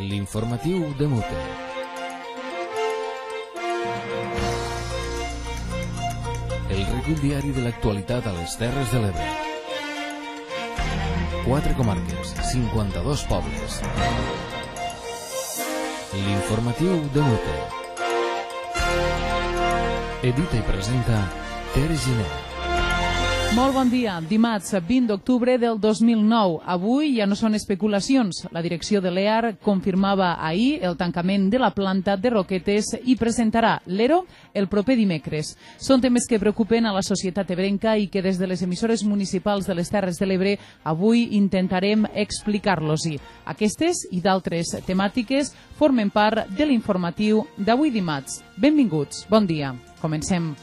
L'informatiu de Mute. El recull diari de l'actualitat a les Terres de l'Ebre. 4 comarques, 52 pobles. L'informatiu de Mute. Edita i presenta Ter Giner. Molt bon dia. Dimarts 20 d'octubre del 2009. Avui ja no són especulacions. La direcció de l'EAR confirmava ahir el tancament de la planta de Roquetes i presentarà l'ERO el proper dimecres. Són temes que preocupen a la societat ebrenca i que des de les emissores municipals de les Terres de l'Ebre avui intentarem explicar-los-hi. Aquestes i d'altres temàtiques formen part de l'informatiu d'avui dimarts. Benvinguts. Bon dia. Comencem.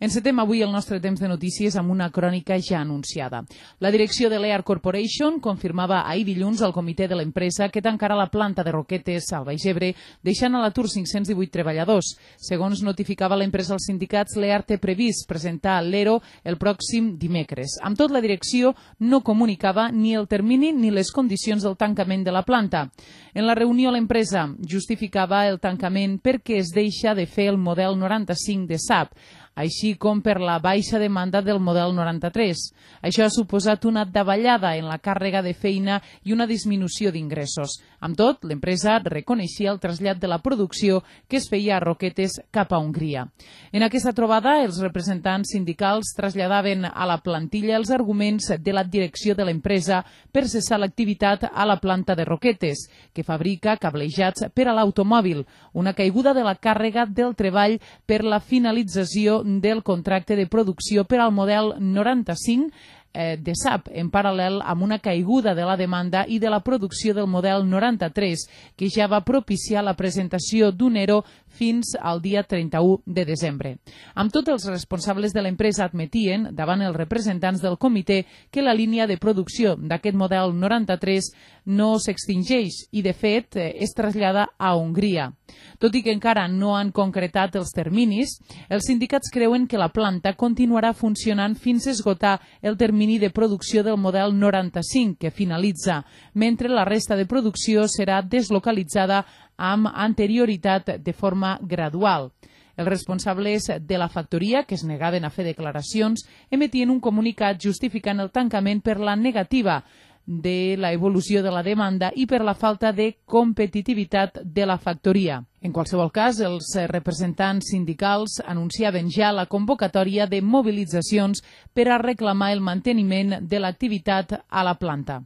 Encetem avui el nostre temps de notícies amb una crònica ja anunciada. La direcció de l'EAR Corporation confirmava ahir dilluns al comitè de l'empresa que tancarà la planta de Roquetes al Baix Ebre, deixant a l'atur 518 treballadors. Segons notificava l'empresa als sindicats, l'EAR té previst presentar l'ERO el pròxim dimecres. Amb tot, la direcció no comunicava ni el termini ni les condicions del tancament de la planta. En la reunió, l'empresa justificava el tancament perquè es deixa de fer el model 95 de SAP, així com per la baixa demanda del model 93. Això ha suposat una davallada en la càrrega de feina i una disminució d'ingressos. Amb tot, l'empresa reconeixia el trasllat de la producció que es feia a Roquetes cap a Hongria. En aquesta trobada, els representants sindicals traslladaven a la plantilla els arguments de la direcció de l'empresa per cessar l'activitat a la planta de Roquetes, que fabrica cablejats per a l'automòbil, una caiguda de la càrrega del treball per la finalització del contracte de producció per al model 95 de SAP, en paral·lel amb una caiguda de la demanda i de la producció del model 93, que ja va propiciar la presentació d'un ERO fins al dia 31 de desembre. Amb tot, els responsables de l'empresa admetien, davant els representants del comitè, que la línia de producció d'aquest model 93 no s'extingeix i, de fet, es trasllada a Hongria. Tot i que encara no han concretat els terminis, els sindicats creuen que la planta continuarà funcionant fins a esgotar el termini de producció del model 95, que finalitza, mentre la resta de producció serà deslocalitzada amb anterioritat de forma gradual. Els responsables de la factoria, que es negaven a fer declaracions, emetien un comunicat justificant el tancament per la negativa de la evolució de la demanda i per la falta de competitivitat de la factoria. En qualsevol cas, els representants sindicals anunciaven ja la convocatòria de mobilitzacions per a reclamar el manteniment de l'activitat a la planta.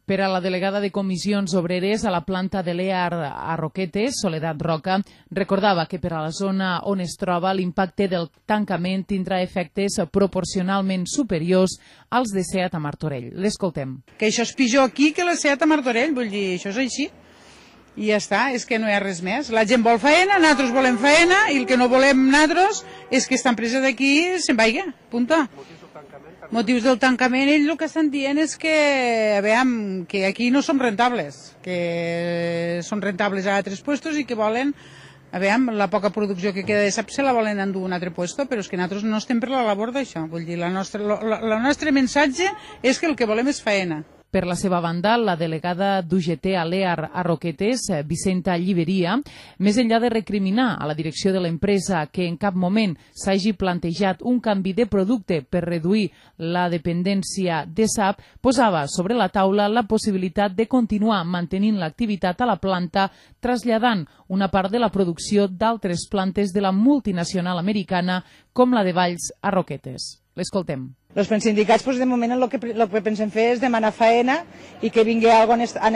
Per a la delegada de comissions obreres a la planta de l'EAR a Roquetes, Soledat Roca, recordava que per a la zona on es troba l'impacte del tancament tindrà efectes proporcionalment superiors als de SEAT a Martorell. L'escoltem. Que això és pitjor aquí que la SEAT a Martorell, vull dir, això és així. I ja està, és que no hi ha res més. La gent vol faena, nosaltres volem faena, i el que no volem nosaltres és que esta empresa d'aquí se'n vaiga, punta. Motius del tancament, ells el que estan dient és que, veiem, que aquí no som rentables, que són rentables a altres puestos i que volen, veiem, la poca producció que queda de SAP se la volen endur a un altre puesto, però és que nosaltres no estem per la labor d'això. Vull dir, el nostre missatge és que el que volem és faena. Per la seva banda, la delegada d'UGT a l'EAR a Roquetes, Vicenta Lliberia, més enllà de recriminar a la direcció de l'empresa que en cap moment s'hagi plantejat un canvi de producte per reduir la dependència de SAP, posava sobre la taula la possibilitat de continuar mantenint l'activitat a la planta, traslladant una part de la producció d'altres plantes de la multinacional americana com la de Valls a Roquetes. L'escoltem. Els sindicats, de moment, el que pensem fer és demanar faena i que vingui alguna cosa en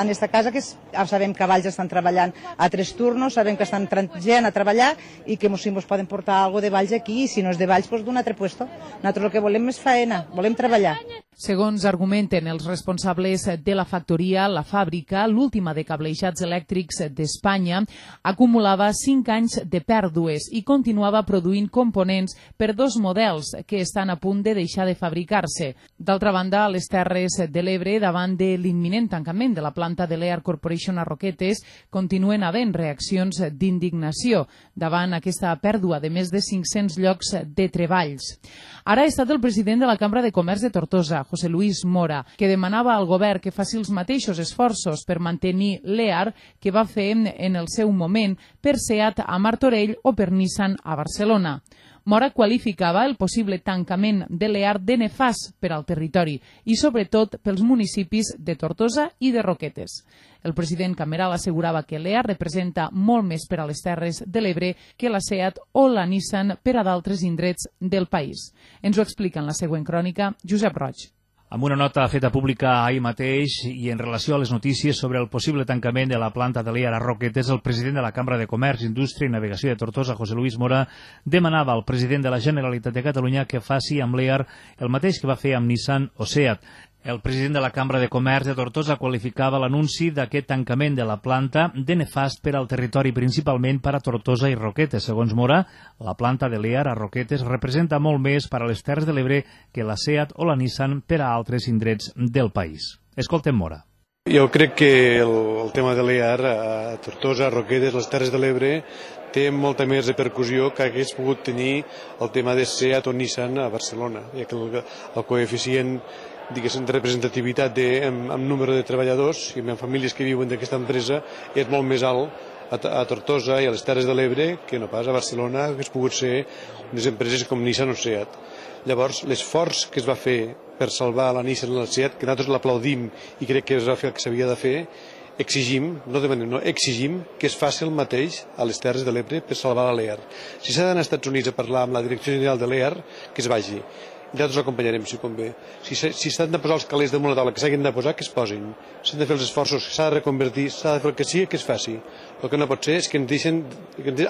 esta casa, que sabem que a Valls estan treballant a 3 turnos, sabem que estan gent a treballar i que si ens poden portar alguna cosa de Valls aquí, i si no és de Valls, d'un altre puesto. Nosaltres el que volem és faena, volem treballar. Segons argumenten els responsables de la factoria, la fàbrica, l'última de cablejats elèctrics d'Espanya, acumulava 5 anys de pèrdues i continuava produint components per 2 models que estan a punt de deixar de fabricar-se. D'altra banda, a les Terres de l'Ebre, davant de l'imminent tancament de la planta de l'Ear Corporation a Roquetes, continuen havent reaccions d'indignació davant aquesta pèrdua de més de 500 llocs de treballs. Ara ha estat el president de la Cambra de Comerç de Tortosa, José Luis Mora, que demanava al govern que faci els mateixos esforços per mantenir l'EAR que va fer en el seu moment per SEAT a Martorell o per Nissan a Barcelona. Mora qualificava el possible tancament de l'EAR de nefast per al territori i sobretot pels municipis de Tortosa i de Roquetes. El president Cameral assegurava que l'EAR representa molt més per a les Terres de l'Ebre que la SEAT o la Nissan per a d'altres indrets del país. Ens ho explica en la següent crònica Josep Roig. Amb una nota feta pública ahir mateix i en relació a les notícies sobre el possible tancament de la planta de l'EAR a Roquetes, el president de la Cambra de Comerç, Indústria i Navegació de Tortosa, José Luis Mora, demanava al president de la Generalitat de Catalunya que faci amb l'EAR el mateix que va fer amb Nissan o SEAT. El president de la Cambra de Comerç de Tortosa qualificava l'anunci d'aquest tancament de la planta de nefast per al territori, principalment per a Tortosa i Roquetes. Segons Mora, la planta de l'EAR a Roquetes representa molt més per a les Terres de l'Ebre que la SEAT o la Nissan per a altres indrets del país. Escoltem Mora. Jo crec que el tema de l'EAR a Tortosa, a Roquetes, les Terres de l'Ebre, té molta més repercussió que hagués pogut tenir el tema de SEAT o Nissan a Barcelona, ja que el coeficient diguéssim, de representativitat amb número de treballadors i amb famílies que viuen d'aquesta empresa és molt més alt a Tortosa i a les Terres de l'Ebre que no pas a Barcelona, que es pogut ser unes empreses com Nissan o SEAT. Llavors, l'esforç que es va fer per salvar la Nissan i la SEAT, que nosaltres l'aplaudim i crec que es va fer el que s'havia de fer, exigim, no demanem, no, exigim que es faci el mateix a les Terres de l'Ebre per salvar la l'EAR. Si s'ha d'anar als Estats Units a parlar amb la Direcció General de l'EAR, que es vagi. Nosaltres l'acompanyarem, si convé. Si s'han de posar els calés damunt la taula que s'hagin de posar, que es posin. S'han de fer els esforços, s'ha de reconvertir, s'ha de fer el que sigui, que es faci. El que no pot ser és que ens deixen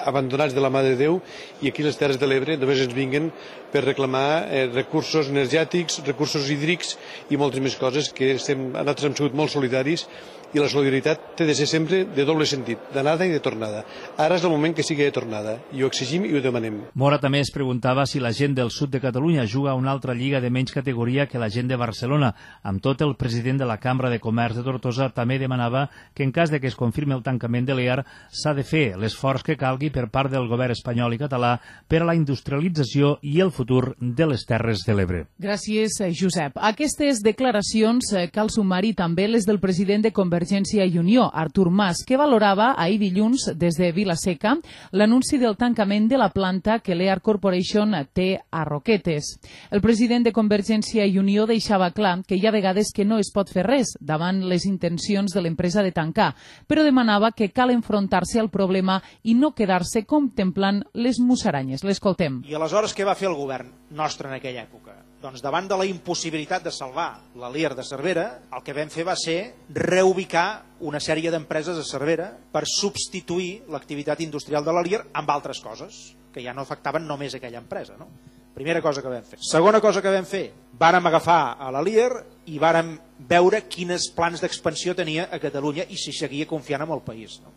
abandonats de la mà de Déu i aquí les Terres de l'Ebre només ens vinguen per reclamar recursos energètics, recursos hídrics i moltes més coses que nosaltres hem sigut molt solidaris i la solidaritat té de ser sempre de doble sentit, d'anada i de tornada. Ara és el moment que sigui de tornada, i ho exigim i ho demanem. Mora també es preguntava si la gent del sud de Catalunya juga a una altra lliga de menys categoria que la gent de Barcelona. Amb tot, el president de la Cambra de Comerç de Tortosa també demanava que en cas de que es confirmi el tancament de l'EAR s'ha de fer l'esforç que calgui per part del govern espanyol i català per a la industrialització i el futur de les Terres de l'Ebre. Gràcies, Josep. A aquestes declaracions cal sumar-hi també les del president de Convergència i Unió, Artur Mas, que valorava ahir dilluns des de Vila-seca l'anunci del tancament de la planta que l'EAR Corporation té a Roquetes. El president de Convergència i Unió deixava clar que hi ha vegades que no es pot fer res davant les intencions de l'empresa de tancar, però demanava que cal enfrontar-se al problema i no quedar-se contemplant les musaranyes. L'escoltem. I aleshores què va fer el govern nostre en aquella època? Doncs davant de la impossibilitat de salvar la LIR de Cervera, el que vam fer va ser reubicar una sèrie d'empreses a Cervera per substituir l'activitat industrial de la LIR amb altres coses, que ja no afectaven només aquella empresa. No? Primera cosa que vam fer. Segona cosa que vam fer, vàrem agafar a la LIR i vàrem veure quins plans d'expansió tenia a Catalunya i si seguia confiant en el país. No?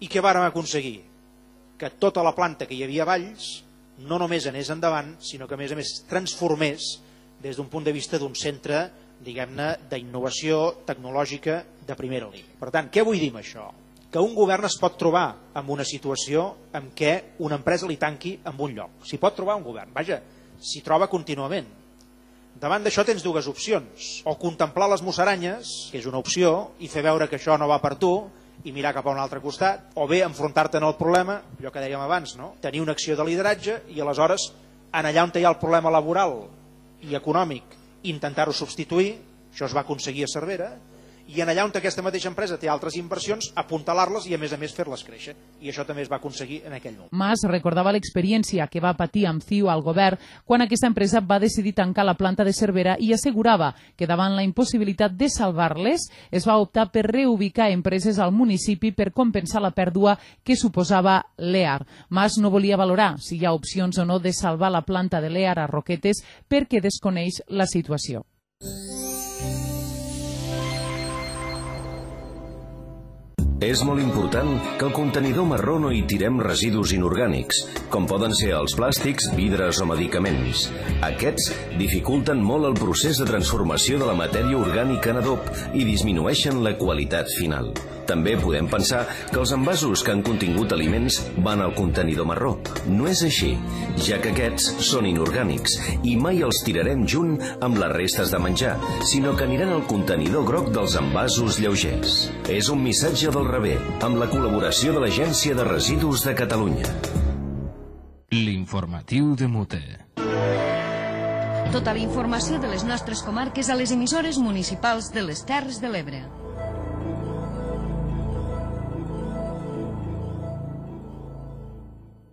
I què vàrem aconseguir? Que tota la planta que hi havia a Valls no només anés endavant, sinó que a més transformés des d'un punt de vista d'un centre, diguem-ne, d'innovació tecnològica de primera línia. Per tant, què vull dir amb això? Que un govern es pot trobar en una situació en què una empresa li tanqui en un lloc. S'hi pot trobar un govern, vaja, s'hi troba contínuament. Davant d'això tens dues opcions, o contemplar les musaranyes, que és una opció, i fer veure que això no va per tu, i mirar cap a un altre costat, o bé enfrontar-te en el problema, allò que dèiem abans, no? Tenir una acció de lideratge i aleshores, en allà on hi ha el problema laboral i econòmic, intentar-ho substituir, això es va aconseguir a Cervera, i en allà on aquesta mateixa empresa té altres inversions, apuntalar-les i a més fer-les créixer. I això també es va aconseguir en aquell moment. Mas recordava l'experiència que va patir amb CiU al govern quan aquesta empresa va decidir tancar la planta de Cervera i assegurava que davant la impossibilitat de salvar-les es va optar per reubicar empreses al municipi per compensar la pèrdua que suposava l'EAR. Mas no volia valorar si hi ha opcions o no de salvar la planta de l'EAR a Roquetes perquè desconeix la situació. És molt important que al contenidor marró no hi tirem residus inorgànics, com poden ser els plàstics, vidres o medicaments. Aquests dificulten molt el procés de transformació de la matèria orgànica en adob i disminueixen la qualitat final. També podem pensar que els envasos que han contingut aliments van al contenidor marró. No és així, ja que aquests són inorgànics i mai els tirarem junt amb les restes de menjar, sinó que aniran al contenidor groc dels envasos lleugers. És un missatge del rebé, amb la col·laboració de l'Agència de Residus de Catalunya. L'informatiu de Mute. Tota la informació de les nostres comarques a les emissores municipals de les Terres de l'Ebre.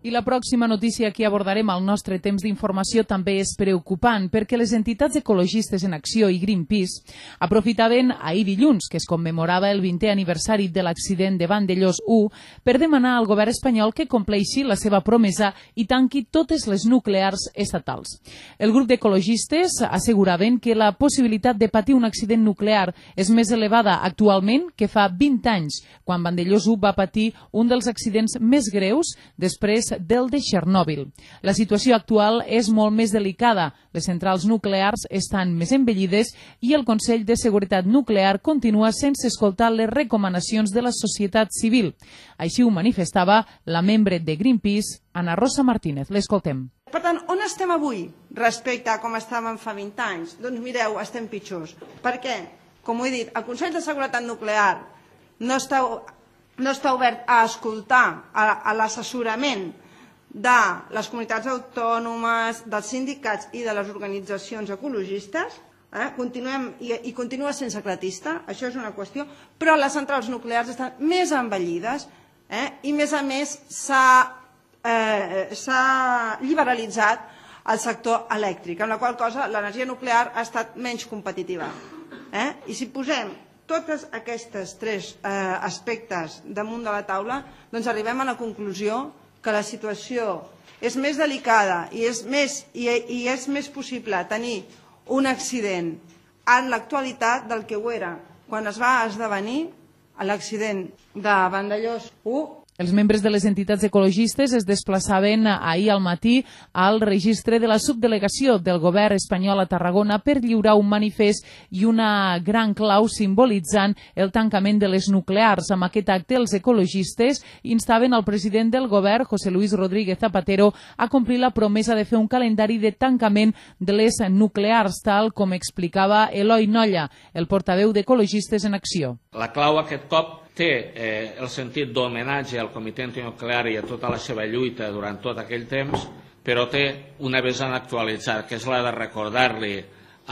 I la pròxima notícia que abordarem al nostre temps d'informació també és preocupant perquè les entitats ecologistes en acció i Greenpeace aprofitaven ahir dilluns, que es commemorava el 20è aniversari de l'accident de Vandellòs 1, per demanar al govern espanyol que compleixi la seva promesa i tanqui totes les nuclears estatals. El grup d'ecologistes asseguraven que la possibilitat de patir un accident nuclear és més elevada actualment que fa 20 anys, quan Vandellòs 1 va patir un dels accidents més greus després del de Txernòbil. La situació actual és molt més delicada. Les centrals nuclears estan més envellides i el Consell de Seguretat Nuclear continua sense escoltar les recomanacions de la societat civil. Així ho manifestava la membre de Greenpeace, Ana Rosa Martínez. L'escoltem. Per tant, on estem avui respecte a com estàvem fa 20 anys? Doncs mireu, estem pitjors. Per què? Com ho he dit, el Consell de Seguretat Nuclear no està obert a escoltar a l'assessorament de les comunitats autònomes, dels sindicats i de les organitzacions ecologistes, i continua sense clatista, això és una qüestió, però les centrals nuclears estan més envellides i, a més, s'ha liberalitzat el sector elèctric, amb la qual cosa l'energia nuclear ha estat menys competitiva. I si posem tots aquests tres aspectes damunt de la taula, doncs arribem a la conclusió que la situació és més delicada i és més possible tenir un accident en l'actualitat del que ho era quan es va esdevenir l'accident de Vandellòs 1. Els membres de les entitats ecologistes es desplaçaven ahir al matí al registre de la subdelegació del govern espanyol a Tarragona per lliurar un manifest i una gran clau simbolitzant el tancament de les nuclears. Amb aquest acte, els ecologistes instaven al president del govern, José Luis Rodríguez Zapatero, a complir la promesa de fer un calendari de tancament de les nuclears, tal com explicava Eloi Nolla, el portaveu d'Ecologistes en Acció. La clau aquest cop té el sentit d'homenatge al Comitè Antinuclear i a tota la seva lluita durant tot aquell temps, però té una vessant actualitzada, que és la de recordar-li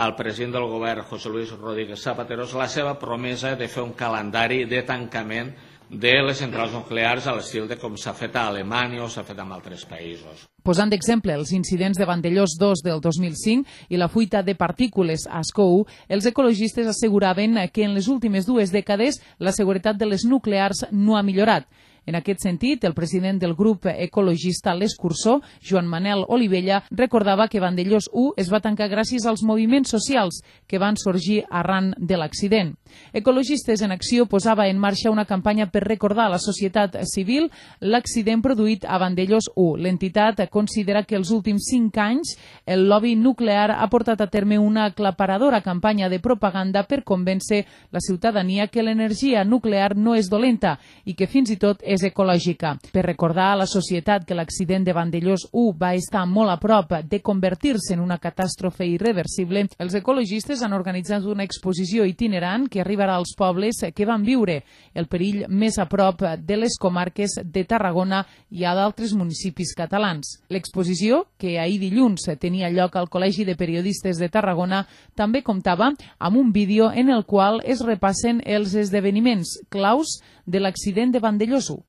al president del govern, José Luis Rodríguez Zapatero, la seva promesa de fer un calendari de tancament de les centrals nuclears a l'estil de com s'ha fet a Alemanya o s'ha fet en altres països. Posant d'exemple els incidents de Vandellòs 2 del 2005 i la fuita de partícules a Ascó 1, els ecologistes asseguraven que en les últimes 2 dècades la seguretat de les nuclears no ha millorat. En aquest sentit, el president del grup ecologista L'Escursó, Joan Manel Olivella, recordava que Vandellòs 1 es va tancar gràcies als moviments socials que van sorgir arran de l'accident. Ecologistes en Acció posava en marxa una campanya per recordar a la societat civil l'accident produït a Vandellòs 1. L'entitat considera que els últims 5 anys el lobby nuclear ha portat a terme una aclaparadora campanya de propaganda per convèncer la ciutadania que l'energia nuclear no és dolenta i que fins i tot és ecològica. Per recordar a la societat que l'accident de Vandellòs 1 va estar molt a prop de convertir-se en una catàstrofe irreversible, els ecologistes han organitzat una exposició itinerant que arribarà als pobles que van viure el perill més a prop de les comarques de Tarragona i a d'altres municipis catalans. L'exposició, que ahir dilluns tenia lloc al Col·legi de Periodistes de Tarragona, també comptava amb un vídeo en el qual es repassen els esdeveniments claus de l'accident de Vandellòs 1.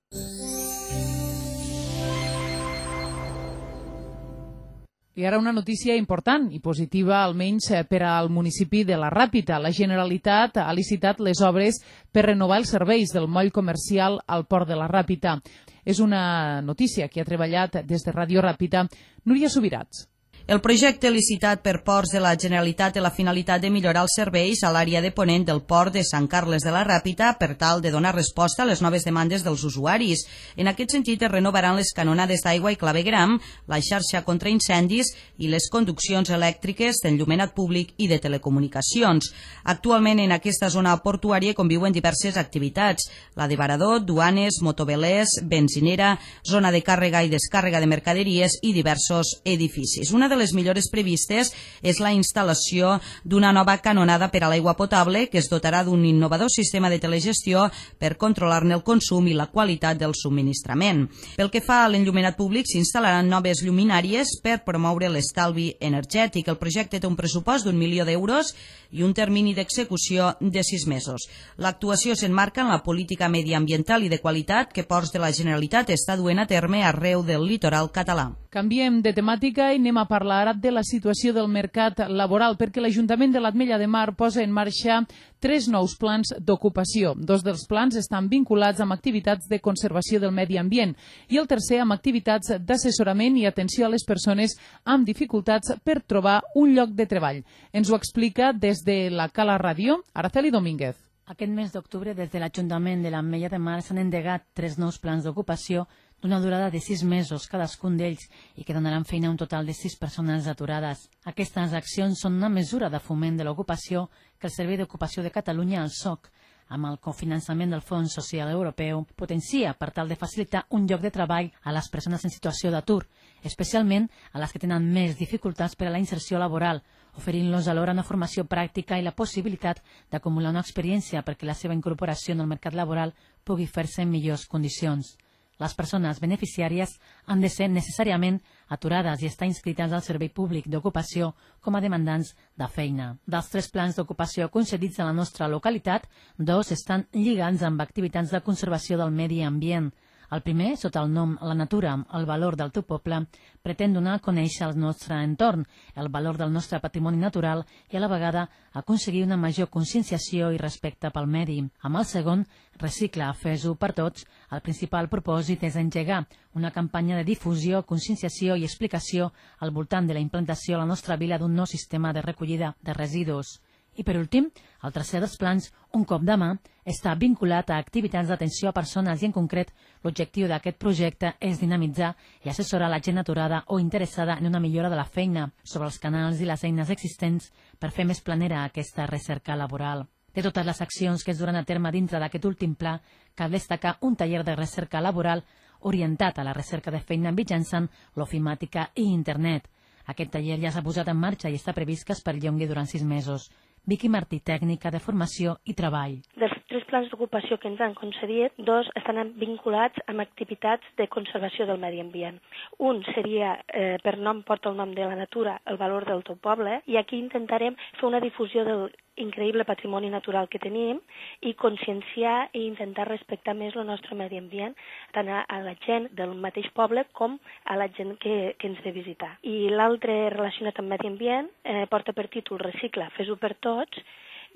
I ara una notícia important i positiva, almenys per al municipi de la Ràpita. La Generalitat ha licitat les obres per renovar els serveis del moll comercial al port de la Ràpita. És una notícia que ha treballat des de Ràdio Ràpita Núria Subirats. El projecte licitat per Ports de la Generalitat té la finalitat de millorar els serveis a l'àrea de ponent del port de Sant Carles de la Ràpita per tal de donar resposta a les noves demandes dels usuaris. En aquest sentit, es renovaran les canonades d'aigua i clavegram, la xarxa contra incendis i les conduccions elèctriques d'enllumenat públic i de telecomunicacions. Actualment, en aquesta zona portuària conviuen diverses activitats: la de varador, duanes, motovelers, benzinera, zona de càrrega i descàrrega de mercaderies i diversos edificis. Una de les millores previstes és la instal·lació d'una nova canonada per a l'aigua potable que es dotarà d'un innovador sistema de telegestió per controlar-ne el consum i la qualitat del subministrament. Pel que fa a l'enllumenat públic, s'instal·laran noves lluminàries per promoure l'estalvi energètic. El projecte té un pressupost d'1 milió d'euros i un termini d'execució de 6 mesos. L'actuació s'emmarca en la política mediambiental i de qualitat que Ports de la Generalitat està duent a terme arreu del litoral català. Canviem de temàtica i anem a parlar ara de la situació del mercat laboral, perquè l'Ajuntament de l'Ametlla de Mar posa en marxa 3 nous plans d'ocupació. 2 dels plans estan vinculats amb activitats de conservació del medi ambient i el tercer amb activitats d'assessorament i atenció a les persones amb dificultats per trobar un lloc de treball. Ens ho explica des de la Cala Ràdio, Araceli Domínguez. Aquest mes d'octubre, des de l'Ajuntament de l'Ametlla de Mar s'han endegat 3 nous plans d'ocupació d'una durada de 6 mesos cadascun d'ells i que donaran feina a un total de 6 persones aturades. Aquestes accions són una mesura de foment de l'ocupació que el Servei d'Ocupació de Catalunya, el SOC, amb el cofinançament del Fons Social Europeu, potencia per tal de facilitar un lloc de treball a les persones en situació d'atur, especialment a les que tenen més dificultats per a la inserció laboral, oferint-los alhora una formació pràctica i la possibilitat d'acumular una experiència perquè la seva incorporació en el mercat laboral pugui fer-se en millors condicions. Les persones beneficiàries han de ser necessàriament aturades i estar inscrites al Servei Públic d'Ocupació com a demandants de feina. Dels 3 plans d'ocupació concedits a la nostra localitat, 2 estan lligats amb activitats de conservació del medi ambient. El primer, sota el nom La Natura, el valor del teu poble, pretén donar a conèixer el nostre entorn, el valor del nostre patrimoni natural i a la vegada aconseguir una major conscienciació i respecte pel medi. Amb el segon, Recicla, fes-ho per tots, el principal propòsit és engegar una campanya de difusió, conscienciació i explicació al voltant de la implantació a la nostra vila d'un nou sistema de recollida de residus. I per últim, el tercer dels plans, Un cop de mà, està vinculat a activitats d'atenció a persones i en concret l'objectiu d'aquest projecte és dinamitzar i assessorar la gent aturada o interessada en una millora de la feina sobre els canals i les eines existents per fer més planera aquesta recerca laboral. De totes les accions que es duran a terme dintre d'aquest últim pla, cal destacar un taller de recerca laboral orientat a la recerca de feina mitjançant l'ofimàtica i internet. Aquest taller ja s'ha posat en marxa i està previst que es perllongui durant 6 mesos. Vicky Martí, tècnica de formació i treball. Dels 3 plans d'ocupació que ens han concedit, 2 estan vinculats amb activitats de conservació del medi ambient. Un seria, per nom porta el nom de La Natura, el valor del teu poble, i aquí intentarem fer una difusió del increïble patrimoni natural que tenim i conscienciar i intentar respectar més el nostre medi ambient, tant a la gent del mateix poble com a la gent que ens ve visitar. I l'altre relacionat amb medi ambient porta per títol Recicla, fes-ho per tots,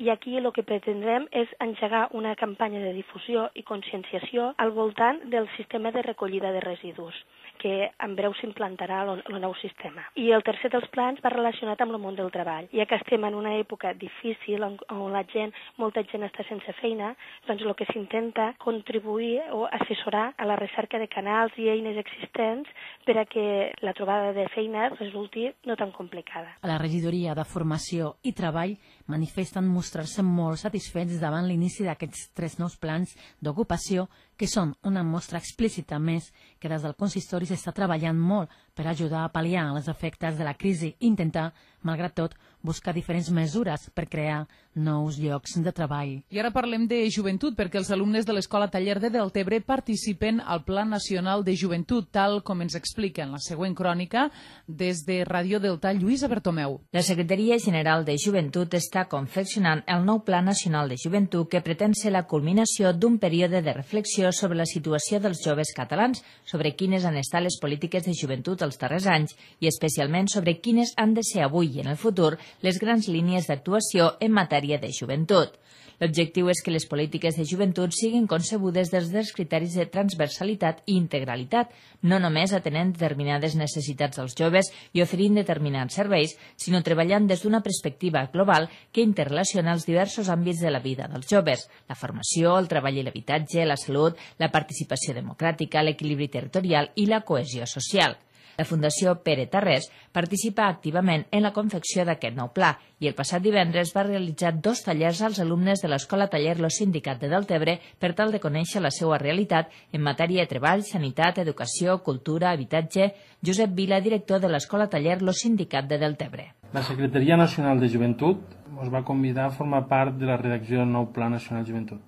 i aquí el que pretendrem és engegar una campanya de difusió i conscienciació al voltant del sistema de recollida de residus, que en breu s'implantarà el nou sistema. I el tercer dels plans va relacionat amb el món del treball. Ja que estem en una època difícil on molta gent està sense feina, doncs el que s'intenta contribuir o assessorar a la recerca de canals i eines existents per a que la trobada de feina resulti no tan complicada. A la regidoria de Formació i Treball manifesten mostrar-se molt satisfets davant l'inici d'aquests 3 nous plans d'ocupació que són una mostra explícita més que des del consistori s'està treballant molt per ajudar a pal·liar els efectes de la crisi i intentar, malgrat tot, buscar diferents mesures per crear nous llocs de treball. I ara parlem de joventut, perquè els alumnes de l'Escola Taller de Deltebre participen al Pla Nacional de Joventut, tal com ens explica en la següent crònica des de Ràdio Delta, Lluïsa Bertomeu. La Secretaria General de Joventut està confeccionant el nou Pla Nacional de Joventut que pretén ser la culminació d'un període de reflexió sobre la situació dels joves catalans, sobre quines han estat les polítiques de joventut els darrers anys i especialment sobre quines han de ser avui avui i en el futur les grans línies d'actuació en matèria de joventut. L'objectiu és que les polítiques de joventut siguin concebudes des dels criteris de transversalitat i integralitat, no només atenent determinades necessitats dels joves i oferint determinats serveis, sinó treballant des d'una perspectiva global que interrelaciona els diversos àmbits de la vida dels joves: la formació, el treball i l'habitatge, la salut, la participació democràtica, l'equilibri territorial i la cohesió social. La Fundació Pere Tarrés participa activament en la confecció d'aquest nou pla i el passat divendres va realitzar 2 tallers als alumnes de l'Escola Taller Lo Sindicat de Deltebre per tal de conèixer la seva realitat en matèria de treball, sanitat, educació, cultura, habitatge. Josep Vila, director de l'Escola Taller Lo Sindicat de Deltebre. La Secretaria Nacional de Joventut ens va convidar a formar part de la redacció del nou Pla Nacional de Joventut.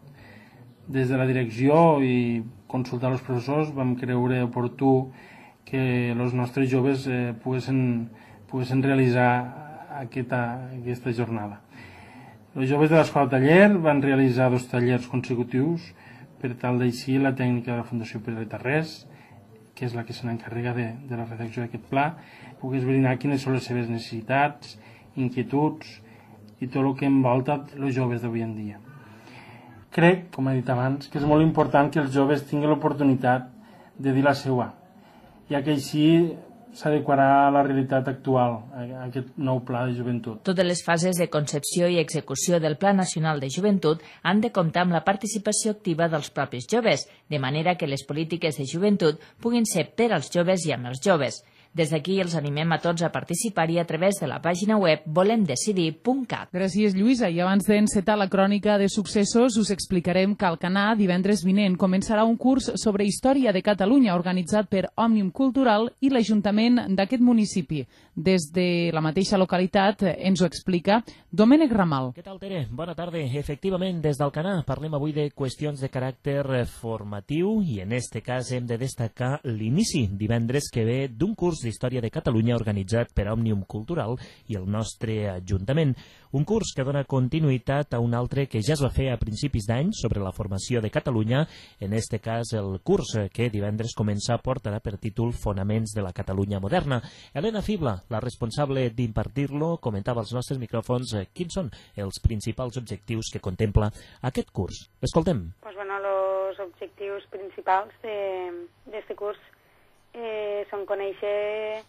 Des de la direcció i consultar els professors vam creure oportú que els nostres joves poguessin realitzar aquesta jornada. Els joves de l'Escola Taller van realitzar 2 tallers consecutius per tal d'eixir la tècnica de la Fundació Pere Tarrés, que és la que se n'encarrega de la redacció d'aquest pla, pogués esbrinar quines són les seves necessitats, inquietuds i tot el que envolta els joves d'avui en dia. Crec, com he dit abans, que és molt important que els joves tinguin l'oportunitat de dir la seva, ja que així s'adequarà a la realitat actual, a aquest nou pla de joventut. Totes les fases de concepció i execució del Pla Nacional de Joventut han de comptar amb la participació activa dels propis joves, de manera que les polítiques de joventut puguin ser per als joves i amb els joves. Des d'aquí els animem a tots a participar-hi a través de la pàgina web volemdecidir.cat. Gràcies, Lluïsa. I abans d'encetar la crònica de successos, us explicarem que Alcanar, divendres vinent, començarà un curs sobre història de Catalunya organitzat per Òmnium Cultural i l'Ajuntament d'aquest municipi. Des de la mateixa localitat ens ho explica Domènec Ramal. Què tal, Tere? Bona tarda. Efectivament, des d'Alcanar parlem avui de qüestions de caràcter formatiu i en este cas hem de destacar l'inici divendres que ve d'un curs d'Història de Catalunya organitzat per Òmnium Cultural i el nostre Ajuntament. Un curs que dona continuïtat a un altre que ja es va fer a principis d'any sobre la formació de Catalunya, en este cas el curs que divendres comença portarà per títol Fonaments de la Catalunya moderna. Helena Fibla, la responsable d'impartir-lo, comentava als nostres micròfons quins són els principals objectius que contempla aquest curs. L'escoltem. Pues bueno, los objetivos principals de este curs son conèixer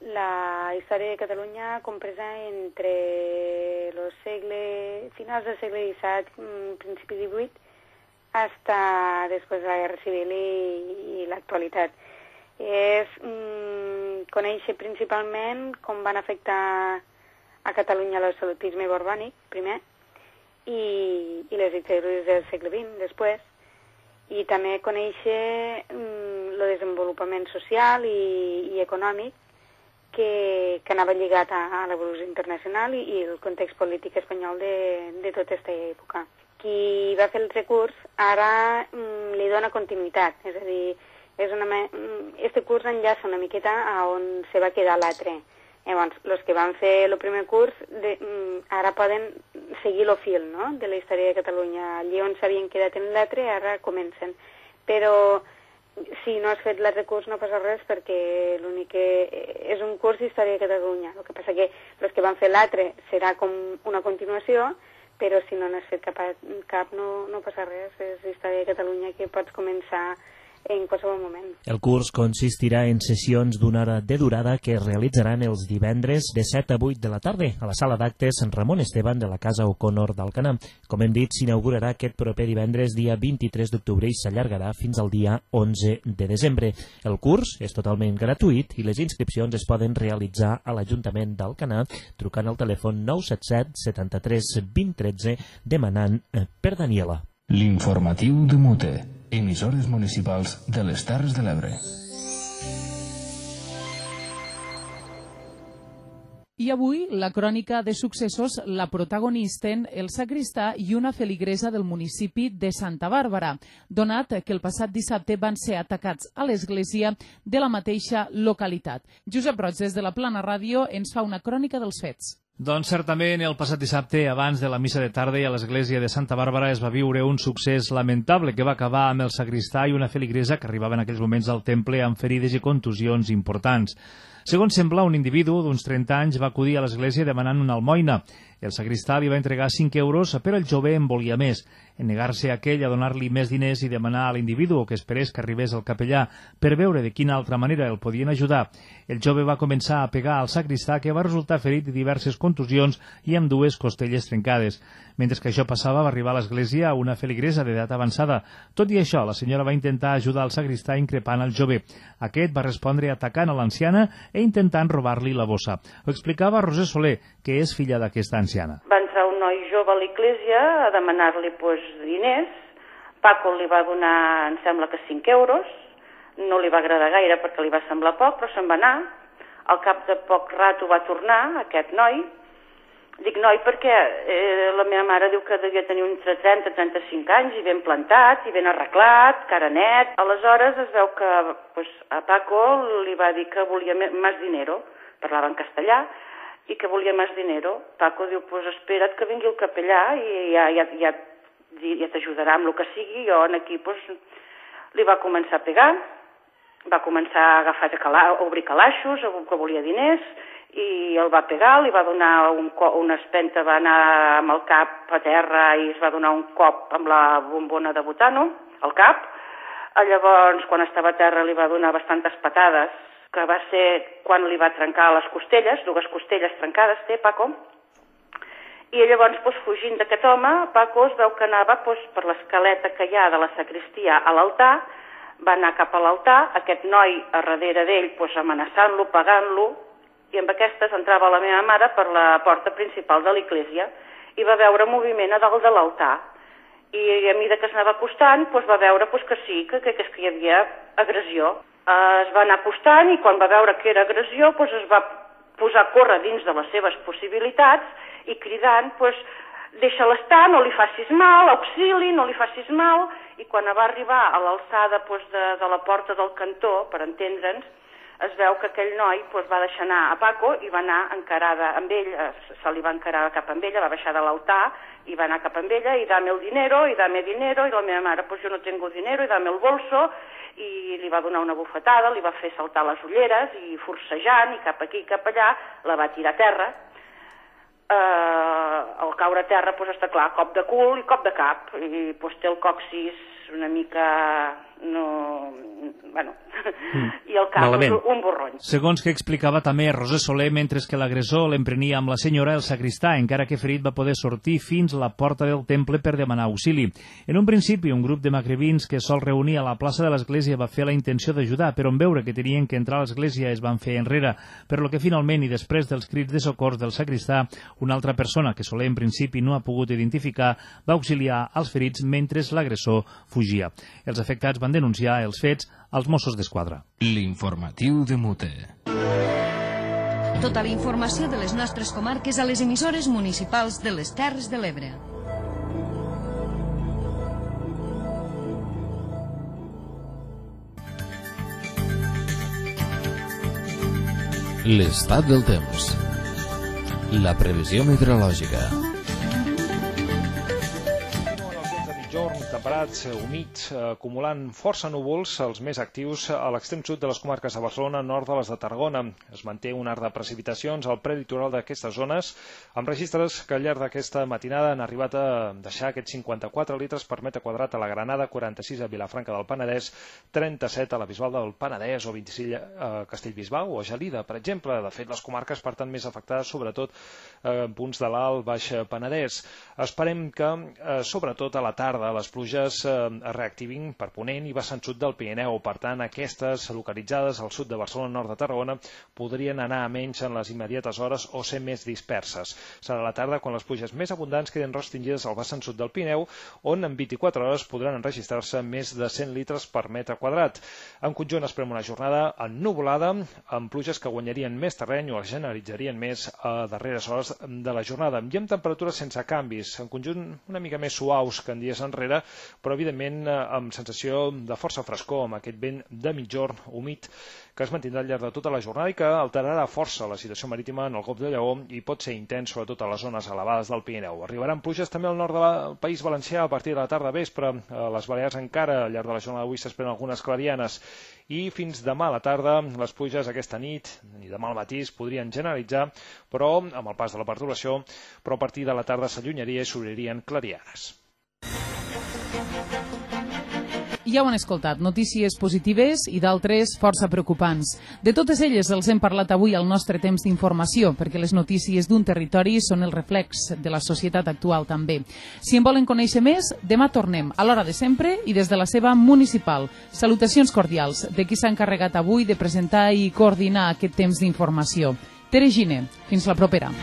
la història de Catalunya compresa entre los finals del segle XVII, principi XVIII, hasta després de la Guerra Civil i l'actualitat. És conèixer principalment com van afectar a Catalunya l'absolutisme borbònic, primer, i les dictadures del segle XX, després, i també conèixer el desenvolupament social i econòmic que anava lligat a l'evolució internacional i el context polític espanyol de tota aquesta època. Qui va fer el recurs ara li dona continuïtat, és a dir, este curs enllaça una miqueta a on se va quedar l'altre. Llavors, els que van fer el primer curs ara poden seguir el fil, no?, de la història de Catalunya. Allí on s'havien quedat en l'altre ara comencen. Però si no has fet l'altre curs no passa res perquè l'únic que és un curs d'història de Catalunya. El que passa que els que van fer l'altre serà com una continuació, però si no n'has fet cap no passa res. És història de Catalunya que pots començar en qualsevol moment. El curs consistirà en sessions d'una hora de durada que es realitzaran els divendres de 7 a 8 de la tarda a la sala d'actes Ramon Esteban de la Casa O'Connor d'Alcanar. Com hem dit, s'inaugurarà aquest proper divendres dia 23 d'octubre i s'allargarà fins al dia 11 de desembre. El curs és totalment gratuït i les inscripcions es poden realitzar a l'Ajuntament d'Alcanar trucant al telèfon 977 73 20 13 demanant per Daniela. L'informatiu de Mute. Emissores municipals de les Terres de l'Ebre. I avui, la crònica de successos la protagonisten el sacristà i una feligresa del municipi de Santa Bàrbara, donat que el passat dissabte van ser atacats a l'església de la mateixa localitat. Josep Roig, des de la Plana Ràdio, ens fa una crònica dels fets. Doncs certament el passat dissabte, abans de la missa de tarda a l'església de Santa Bàrbara es va viure un succés lamentable que va acabar amb el sacristà i una feligresa que arribava en aquells moments al temple amb ferides i contusions importants. Segons sembla, un individu d'uns 30 anys va acudir a l'església demanant una almoina. El sagristà li va entregar 5 euros, però el jove en volia més. En negar-se aquell a donar-li més diners i demanar a l'individu que esperés que arribés el capellà per veure de quina altra manera el podien ajudar, el jove va començar a pegar al sagristà, que va resultar ferit de diverses contusions i amb 2 costelles trencades. Mentre que això passava, va arribar a l'església una feligresa d'edat avançada. Tot i això, la senyora va intentar ajudar el sagristà increpant el jove. Aquest va respondre atacant a l'anciana i intentant robar-li la bossa. Ho explicava Roser Soler, que és filla d'aquesta anciana. Va entrar un noi jove a l'església a demanar-li diners. Paco li va donar, em sembla que 5 euros. No li va agradar gaire perquè li va semblar poc, però se'n va anar. Al cap de poc rato va tornar aquest noi. Dic noi perquè la meva mare diu que devia tenir entre 30 i 35 anys i ben plantat i ben arreglat, cara net. Aleshores es veu que a Paco li va dir que volia més dinero, parlava en castellà, i que volia més dinero. Paco diu, espera't que vingui el capellà i ja t'ajudarà amb el que sigui. Jo aquí li va començar a pegar, va començar a agafar a obrir calaixos, que volia diners, i el va pegar, li va donar una espenta, va anar amb el cap a terra i es va donar un cop amb la bombona de butano al cap. Llavors, quan estava a terra, li va donar bastantes patades, que va ser quan li va trencar les costelles, 2 costelles trencades té Paco. I llavors, fugint d'aquest home, Paco es veu que anava per l'escaleta que hi ha de la sagristia a l'altar, va anar cap a l'altar, aquest noi a darrere d'ell amenaçant-lo, pagant-lo, i amb aquestes entrava la meva mare per la porta principal de l'església i va veure moviment a dalt de l'altar. I a mesura que s'anava acostant, va veure que sí, que hi havia agressió. Es va anar acostant i quan va veure que era agressió es va posar a córrer dins de les seves possibilitats i cridant, deixa-la estar, no li facis mal, auxili, no li facis mal. I quan va arribar a l'alçada de la porta del cantó, per entendre'ns, es veu que aquell noi va deixar anar a Paco i va anar encarada amb ell, se li va encarar cap amb ella, va baixar de l'altar i va anar cap amb ella i dame el dinero, i dame dinero, i la meva mare, jo no tengo dinero, i dame el bolso, i li va donar una bufetada, li va fer saltar les ulleres i forcejant, i cap aquí i cap allà, la va tirar a terra. Al caure a terra, està clar, cop de cul i cop de cap, i té el coccis una mica... i el cap un borrony. Segons que explicava també Roser Soler, mentre que l'agressor l'emprenia amb la senyora, el sagristà, encara que ferit, va poder sortir fins a la porta del temple per demanar auxili. En un principi, un grup de magrebins que sol reunir a la plaça de l'església va fer la intenció d'ajudar, però en veure que tenien que entrar a l'església es van fer enrere, per lo que finalment, i després dels crits de socors del sagristà, una altra persona que Soler en principi no ha pogut identificar va auxiliar als ferits mentre l'agressor fugia. Els afectats van denunciar els fets als Mossos d'Esquadra. L'informatiu de Mute. Tota la informació de les nostres comarques a les emissores municipals de les Terres de l'Ebre. L'estat del temps. La previsió meteorològica. Temperats, humits, acumulant força núvols, els més actius a l'extrem sud de les comarques de Barcelona, nord de les de Tarragona. Es manté un arc de precipitacions al prelitoral d'aquestes zones, amb registres que al llarg d'aquesta matinada han arribat a deixar aquests 54 litres per metre quadrat a la Granada, 46 a Vilafranca del Penedès, 37 a la Bisbal del Penedès o 26 a Castellbisbal o a Gelida, per exemple. De fet, les comarques, per tant, més afectades, sobretot en punts de l'Alt Baix Penedès. Esperem que, sobretot a la tarda, les pluges es reactivin per Ponent i vessant sud del Pirineu. Per tant, aquestes localitzades al sud de Barcelona, nord de Tarragona, podrien anar a menys en les immediates hores o ser més disperses. Serà a la tarda quan les pluges més abundants queden restringides al vessant sud del Pirineu, on en 24 hores podran enregistrar-se més de 100 litres per metre quadrat. En conjunt esperem una jornada ennuvolada, amb pluges que guanyarien més terreny o es generalitzarien més a darreres hores de la jornada, i amb temperatures sense canvis, en conjunt una mica més suaus que en dies enrere, però evidentment amb sensació de força frescor, amb aquest vent de mitjorn humit que es mantindrà al llarg de tota la jornada i que alterarà força la situació marítima en el Golf de Lleó i pot ser intens sobretot a les zones elevades del Pirineu. Arribaran pluges també al nord del País Valencià a partir de la tarda vespre. A les Balears encara al llarg de la jornada d'avui s'esperen algunes clarianes i fins demà a la tarda les pluges aquesta nit i demà al matí es podrien generalitzar, però amb el pas de la perturbació, però a partir de la tarda s'allunyaria i s'obririen clarianes. Ja ho han escoltat, notícies positives i d'altres força preocupants. De totes elles els hem parlat avui al nostre temps d'informació, perquè les notícies d'un territori són el reflex de la societat actual també. Si en volen conèixer més, demà tornem, a l'hora de sempre i des de la seva municipal. Salutacions cordials de qui s'ha encarregat avui de presentar i coordinar aquest temps d'informació. Tere Gine, fins la propera.